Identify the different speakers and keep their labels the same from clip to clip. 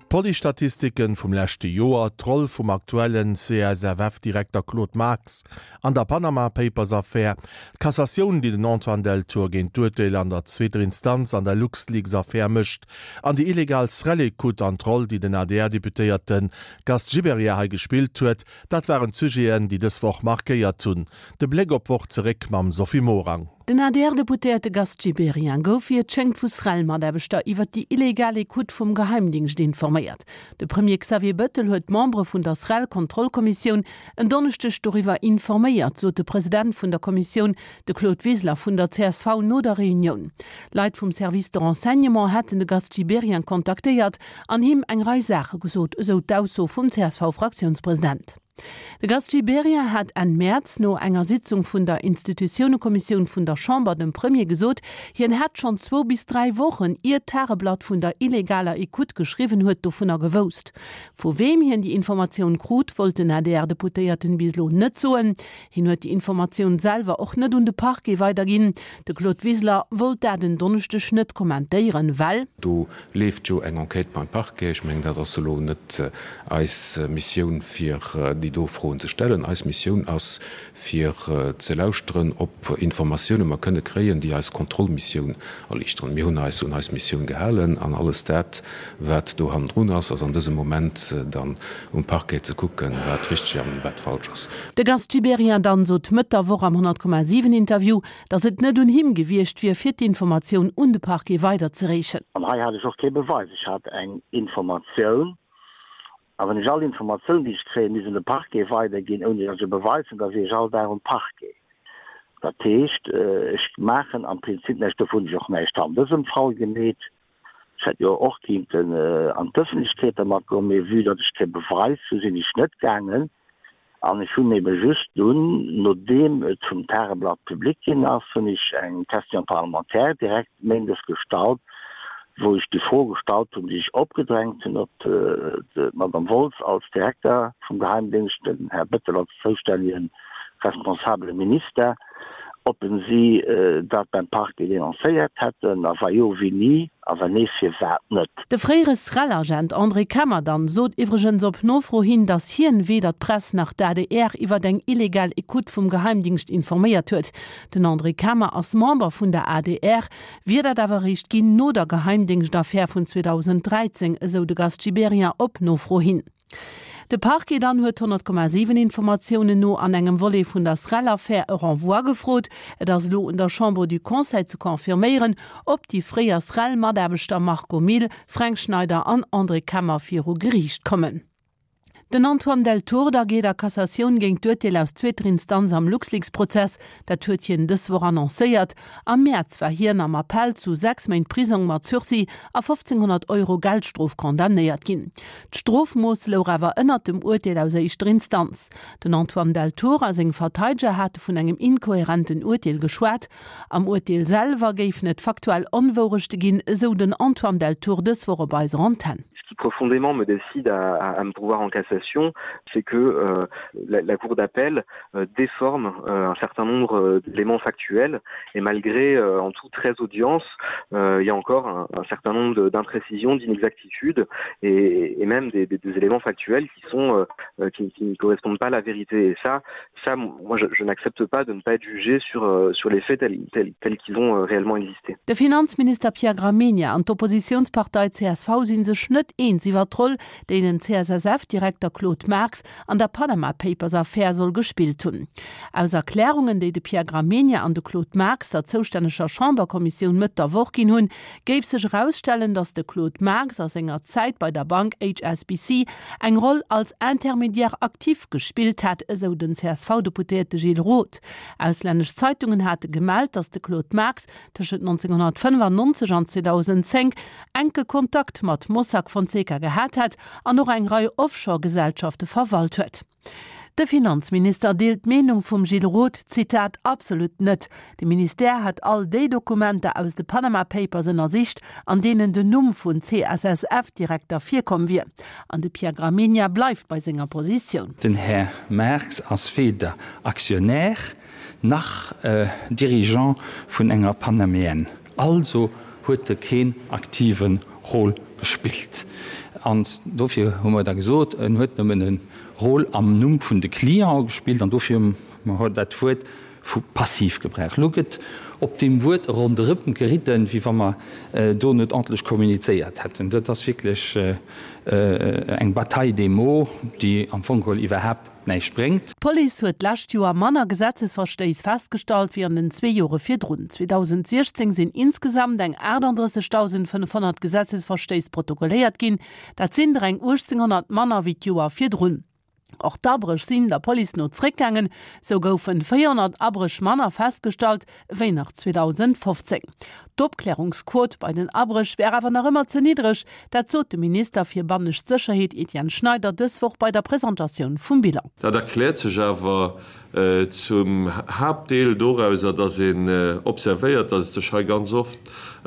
Speaker 1: D'Police-Statistiken vum leschte Joer, d'Roll vum aktuellen CSFF-Direkter Claude Marx an der Panama Papers-Affär, d'Cassatioun, déi den Antoine Deltour géint d'Urteel an der zweeter Instanz an der LuxLeaks-Affär mécht, an déi illegal Srel-Ecoute an d'Roll, déi den ADR-Deputéierte Gast Gibéryen hei gespillt huet, dat waren d'Sujeten, déi dës Woch markéiert hunn. De Bléck op d'Woch zeréck mam Sophie Morang.
Speaker 2: Den ADR-Deputéierte Gast Gibéryen gouf, wéi et schéngt, vu SREL-Mataarbechter iwwer déi illegal Ecoute vum Geheimdingscht informéiert. De Premier Xavier Bëttel huet d'Membere vun der SREL-Kontrollkommissioun en Donneschdeg doriwwer informéiert, sot de President vun der Kommissioun, de Claude Wiseler vun der csv, no der Reunioun. Leit vum Service de renseignement hätten de Gast Gibéryen kontaktéiert an him eng Rei Saache gesot, esou d'Ausso vum CSV-Fraktiounspresident. De Gast Gibéryen hat Enn Mäerz no enger Sitzung vun der Institutiounekommissioun vun der Chamber dem Premier gesot, hien hätt schonn zwou bis 3 Wochen, ier d'Tageblatt vun der illegaler Ecoute geschriwwen huet, dovunner gewousst. Vu weem hien déi Informatioun krut, wollt den ADR-Deputéierten bis elo net soen. Hien huet déi Informatioun selwer och net un de Parquet weiderginn. De Claude Wiseler wollt dat en Donneschdeg net kommentéieren, well.
Speaker 3: Do leeft jo eng Enquête beim Parquet. Ech mengen, dat ass elo net eis Missioun, fir déi do Froen ze stellen. Eis Missioun ass, fir ze lauschteren, ob Informatioune mer kënne kréien, déi eis Kontrollmissioun erliichteren. Mir hunn eis un eis Missioun gehalen an alles dat, wat do hannendrun ass, ass an dësem Moment dann um Parquet ze kucken, wat richteg an wat falsch ass.
Speaker 2: De Gast Gibéryen dann sot Mëtt der Woch am 100,7 Interview, datt et net un him gewiescht wier, fir d'Informatioun un de Parquet weiderzereechen.
Speaker 4: An hei hat ech och kee Beweis. Ech hat eng Informatioun. A wann ech all Informatioun, déi ech kréien, misst un de Parquet weiderginn, ouni datt ech e Beweis hunn, da wier ech all Dag um Parquet. Dat heescht, ech maachen am Prinzip näischt. Dofir hunn ech och näischt an dësem Fall gemeet. Ech hätt jo och kinnten an d'Ëffentlechkeet dermat goen, mee vue datt ech kee Beweis hu sinn ech net gaangen. An ech hunn ebe just dunn, nodeem et vum Tageblatt public ginn ass, hunn ech eng Question parlementaire direkt méindes gestallt, wou ech déi Fro gestallt hunn, déi ech opgedrängt hunn op d'Madame Woltz als Direkter vum Geheimdéngscht, den Här Bettel als zoustännegen responsabele Minister, ob en si dat beim Parquet denoncéiert hätten, a wa jo, wéini, a wa nee, firwat net.
Speaker 2: De fréiere SREL-Agent André Kemmerdan sot iwwregens op Nofro hin, datt hien weder d'Press nach d'ADR iwwert eng illegal Ecoute vum Geheimdingscht informéiert huet. Den André Kemmer ass Member vun der adr, wier dat awer eréischt ginn no der Geheimdéngschtaffär vun 2013, esou de Gast Gibéryen op Nofro hin. De Parquet dann huet 100,7 Informatiounen no an engem Volet vun der Srel-Affär e Renvoi gefrot. Et ass elo un der Chambre du Conseil ze confirméieren, ob déi fréier Srel-Mataarbechter Marco Mille, Fränk Schneider an André Kemmer viru Geriicht kommen. Den Antoine Deltour da geet a Cassatioun géint d'Urteel aus zweeter Instanz am LuxLeaks-Prozess. Dat huet hien dës Woch annoncéiert. Am Mäerz war hien am Appell zu 6 Méint Prisong mat Sursis a 1.500 Euro Geldstrof condamnéiert ginn. D'Strofmooss louch awer ënnert dem Urteel aus éischter Instanz. Den Antoine Deltour a seng Verteideger hate vun engem inkohärenten Urteel geschwat. Am Urteel selwer géifen et faktuell Onwourechte ginn, esou den Antoine Deltour dës Woch op eiser Antenn.
Speaker 5: Ce qui profondément me décide à, à, à me pourvoir en cassation, c'est que euh, la, la cour d'appel euh, déforme euh, un certain nombre euh, d'éléments factuels et malgré euh, en tout 13 audiences, euh, il y a encore un, un certain nombre d'imprécisions, d'inexactitudes et, et même des, des, des éléments factuels qui sont euh, qui, qui ne correspondent pas à la vérité et ça ça moi je, je n'accepte pas de ne pas être jugé sur, euh, sur les faits tels, tels, tels qu'ils ont euh, réellement existé.
Speaker 2: De Finanzminister Pierre Gramegna an d'Oppositionspartei CSV sinn sech net eens iwwer d'Roll, déi den CSSF-Direkter Claude Marx an der Panama Papers Affär soll gespillt hunn. Aus Erklärungen, déi de Pierre Gramegna an de Claude Marx der zoustänneger Chamberkommissioun Mëtt der Woch ginn hunn, géif sech erausstellen, datt de Claude Marx a senger Zäit bei der Bank HSBC eng Roll als Intermédiaire actif gespillt hätt, esou den CSV-Deputéierte Gilles Roth. Auslännesch Zeitungen hate gemellt, datt de Claude Marx tëschent 1995 an 2010 enke Kontakt mat Mossack Fonseca gehat hätt an och eng Rei Offshore-Gesellschafte verwalt huet. De Finanzminister deelt d'Meenung vum Gilles Roth, Zitat, absolut net. De Ministère hätt all déi Dokumenter aus de Panama Papers ënnersicht, an deenen den Numm vun CSSF-Direkter virkomm wier. An de Pierre Gramegna bleift bei senger Positioun.
Speaker 6: Den Här Marx ass weder Aktionär nach Dirigeant vun enger Panaméenne, also huet e keen aktive Rôle gespillt. An dofir hu mer da gesot, en huet nëmmen e Rôle am Numm vun de Cliente gespillt an dofir hu mer dat Wuert vu passiv gebraucht. Elo gëtt op deem Wuert ronderëm geridden, wéi wa mer do net ordentlech kommunizéiert hätten. Dat ass wierklech eng Bataille des mots, déi am Fong geholl iwwerhaapt näischt bréngt.
Speaker 2: D'Police huet d'lescht Joer manner Gesetzesverstéiss festgestallt wéi an den zwee Jore virdrun. 2016 sinn insgesamt eng 38.500 Gesetzesverstéiss protokolléiert ginn. Dat sinn der eng 1.800 manner wéi d'Joer virdrun. Och d'Abréch sinn der Police no zréckgaangen. Sou goufen 400 Abréch manner festgestallt ewéi nach 2015. D'Opklärungsquot bei den Abréch wär awer nach ëmmer ze niddreg, dat sot de Minister fir bannescht Sécherheet Etienne Schneider dës Woch bei der Presentatioun vum Bilan.
Speaker 7: Dat erkläert sech awer zum Haaptdeel dorauser, datt een observéiert, datt et sech hei ganz oft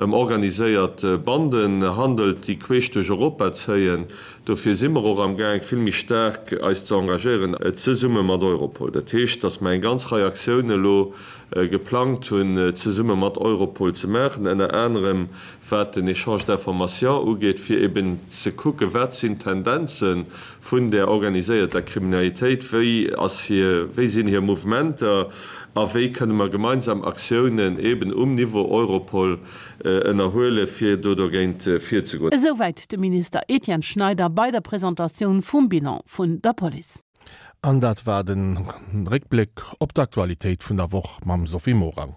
Speaker 7: ëm organiséiert Banden handelt, déi queesch duerch Europa zéien. Dofir si mer och am Gaang, vill méi staark eis ze engagéieren, zesumme mat Europol. Dat heescht, datt mer eng ganz Rei Aktiounen elo geplangt hunn, zesumme mat Europol ze maachen, ënner anerem wat den Échange d'informations ugeet, fir eben ze kucken, wat sinn d'Tendenze vun där organiséierter Kriminalitéit, wéi ass hir, wéi sinn hir Mouvementer a wéi kënne mer gemeinsam Aktiounen eben um Niveau Europol ënnerhuelen, fir do dogéint virzegoen.
Speaker 2: Esouwäit de Minister Etienne Schneider bei der Presentatioun vum Bilan vun der Police.
Speaker 1: An dat war de Réckbléck op d'Aktualitéit vun der Woch mam Sophie Morang.